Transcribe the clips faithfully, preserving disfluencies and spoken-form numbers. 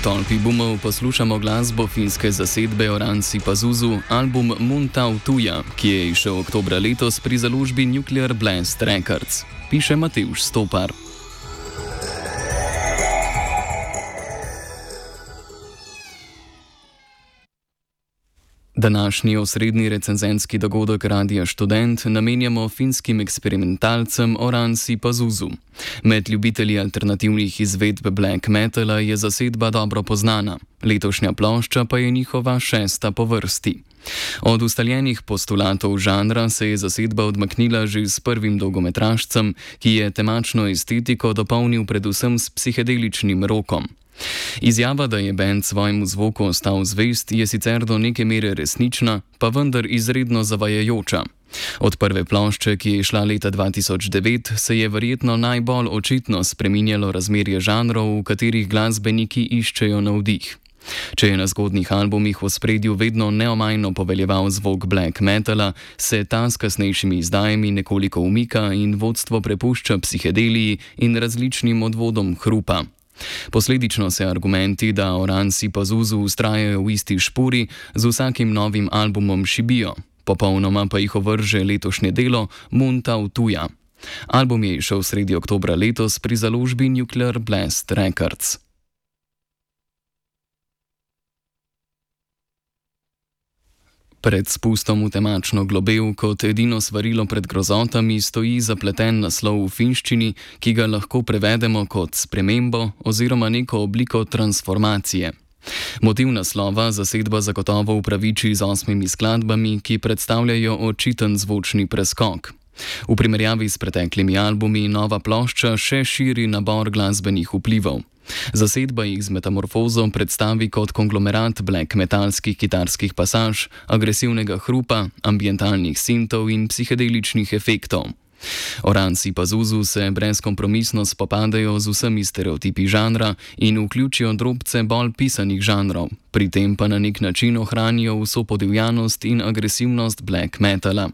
tolpi boomov poslušamo glasbo finske zasedbe Oranssi Pazuzu, album Mun Tau Tuja, ki je izšel oktobra letos pri založbi Nuclear Blast Records. Piše Matevž Stopar. Današnji osrednji recenzentski dogodek Radia Študent namenjamo finskim eksperimentalcem Oranssi Pazuzu. Med ljubitelji alternativnih izvedb black metala je zasedba dobro poznana, letošnja plošča pa je njihova šesta po vrsti. Od ustaljenih postulatov žanra se je zasedba odmaknila že s prvim dolgometražcem, ki je temačno estetiko dopolnil predvsem s psihedeličnim rokom. Izjava, da je bend svojemu zvoku ostal zvest, je sicer do neke mere resnična, pa vendar izredno zavajajoča. Od prve plošče, ki je šla leta dva tisoč devet, se je verjetno najbolj očitno spreminjalo razmerje žanrov, v katerih glasbeniki iščejo navdih. Če je na zgodnjih albumih v ospredju vedno neomajno poveljeval zvok black metala, se ta s kasnejšimi izdajami nekoliko umika in vodstvo prepušča psihedeliji in različnim odvodom hrupa. Posledično se argumenti, da Oranssi Pazuzu vztrajajo v isti špuri, z vsakim novim albumom šibijo, popolnoma pa jih ovrže letošnje delo Mun Tau Tuja. Album je izšel sredi oktobra letos pri založbi Nuclear Blast Records. Pred spustom v temačno globel kot edino svarilo pred grozotami stoji zapleten naslov v finščini, ki ga lahko prevedemo kot spremembo oziroma neko obliko transformacije. Motiv naslova zasedba zagotovo upraviči z osmimi skladbami, ki predstavljajo očiten zvočni preskok. V primerjavi s preteklimi albumi nova plošča še širi nabor glasbenih vplivov. Zasedba jih z metamorfozo predstavi kot konglomerat black metalskih kitarskih pasaž, agresivnega hrupa, ambientalnih sintov in psihedeličnih efektov. Oranssi Pazuzu se brezkompromisno spopadajo z vsemi stereotipi žanra in vključijo drobce bolj pisanih žanrov, pri tem pa na nek način ohranijo vso podivjanost in agresivnost black metala.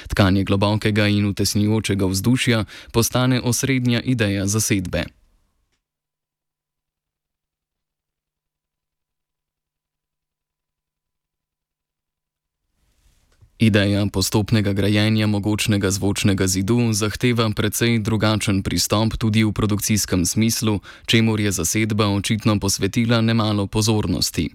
Tkanje globokega in utesnjujočega vzdušja postane osrednja ideja zasedbe. Ideja postopnega grajenja mogočnega zvočnega zidu zahteva precej drugačen pristop tudi v produkcijskem smislu, čemur je zasedba očitno posvetila nemalo pozornosti.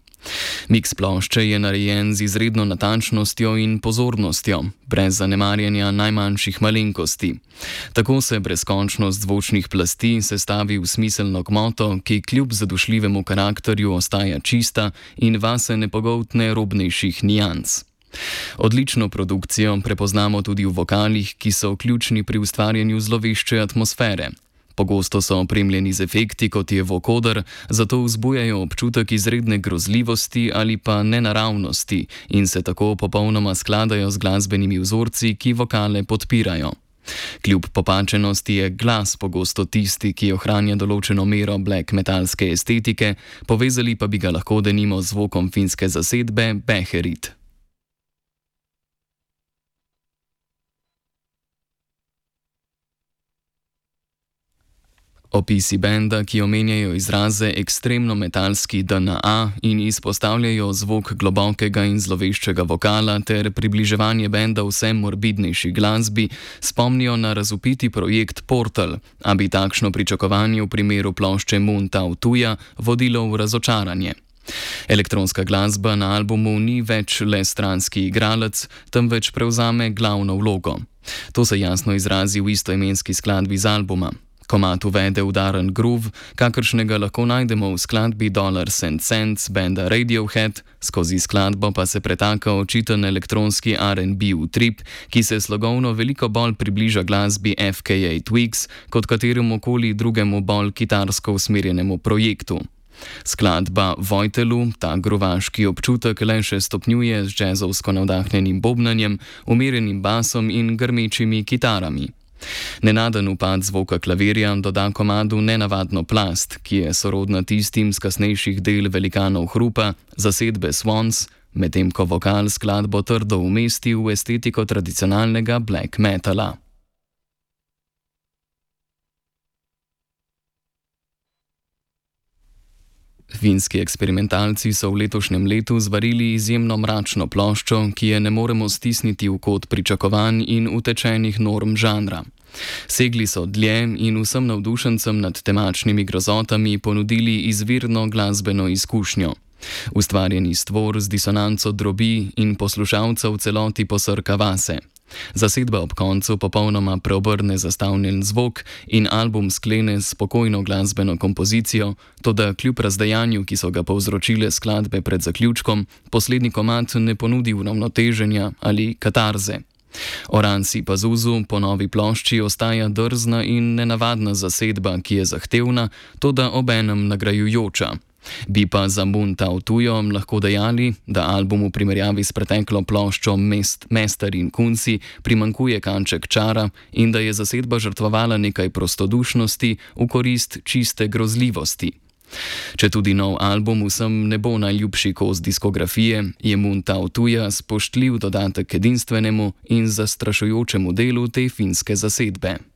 Miks plošče je narejen z izredno natančnostjo in pozornostjo, brez zanemarjanja najmanjših malenkosti. Tako se brezkončnost zvočnih plasti sestavi v smiselno gmoto, ki kljub zadušljivemu karakterju ostaja čista in vase ne pogoltne robnejših nijans. Odlično produkcijo prepoznamo tudi v vokalih, ki so ključni pri ustvarjanju zlovešče atmosfere. Pogosto so opremljeni z efekti, kot je vokoder, zato vzbujajo občutek izredne grozljivosti ali pa nenaravnosti in se tako popolnoma skladajo z glasbenimi vzorci, ki vokale podpirajo. Kljub popačenosti je glas pogosto tisti, ki ohranja določeno mero black metalske estetike, povezali pa bi ga lahko denimo z zvokom finske zasedbe Beherit. Opisi benda, ki omenjajo izraze ekstremno metalski D N A in izpostavljajo zvok globokega in zloveščega vokala ter približevanje benda vse morbidnejši glasbi, spomnijo na razvpiti projekt Portal, a bi takšno pričakovanje v primeru plošče Mun Tau Tuja vodilo v razočaranje. Elektronska glasba na albumu ni več le stranski igralec, temveč prevzame glavno vlogo. To se jasno izrazi v istoimenski skladbi z albuma. Komad uvede udaren groove, kakršnega lahko najdemo v skladbi Dollars and Cents benda Radiohead, skozi skladbo pa se pretaka očiten elektronski R and B utrip, ki se slogovno veliko bolj približa glasbi F K A Twigs kot kateremu koli drugemu bolj kitarsko usmerjenemu projektu. Skladba Vojtelu ta grovaški občutek le še stopnjuje z džezovsko navdahnjenim bobnanjem, umirjenim basom in grmečimi kitarami. Nenaden upad zvoka klavirja doda komadu nenavadno plast, ki je sorodna tistim z kasnejših del velikanov hrupa, zasedbe Swans, medtem ko vokal skladbo trdo umesti v estetiko tradicionalnega black metala. Finski eksperimentalci so v letošnjem letu zvarili izjemno mračno ploščo, ki je ne moremo stisniti v kot pričakovanj in utečenih norm žanra. Segli so dlje in vsem navdušencem nad temačnimi grozotami ponudili izvirno glasbeno izkušnjo. Ustvarjeni stvor z disonanco drobi in poslušalca v celoti posrka vase. Zasedba ob koncu popolnoma preobrne zastavljen zvok in album sklene s spokojno glasbeno kompozicijo, toda kljub razdejanju, ki so ga povzročile skladbe pred zaključkom, poslednji komad ne ponudi uravnoteženja ali katarze. Oransi Pazuzu po novi plošči ostaja drzna in nenavadna zasedba, ki je zahtevna, toda obenem nagrajujoča. Bi pa za Mun Tao Tujo lahko dejali, da albumu v primerjavi s preteklo ploščo Mest, Mester in Kunci primanjkuje kanček čara in da je zasedba žrtvovala nekaj prostodušnosti v korist čiste grozljivosti. Če tudi nov album vsem ne bo najljubši kos diskografije, je Mun Tao Tuja spoštljiv dodatek k edinstvenemu in zastrašujočemu delu te finske zasedbe.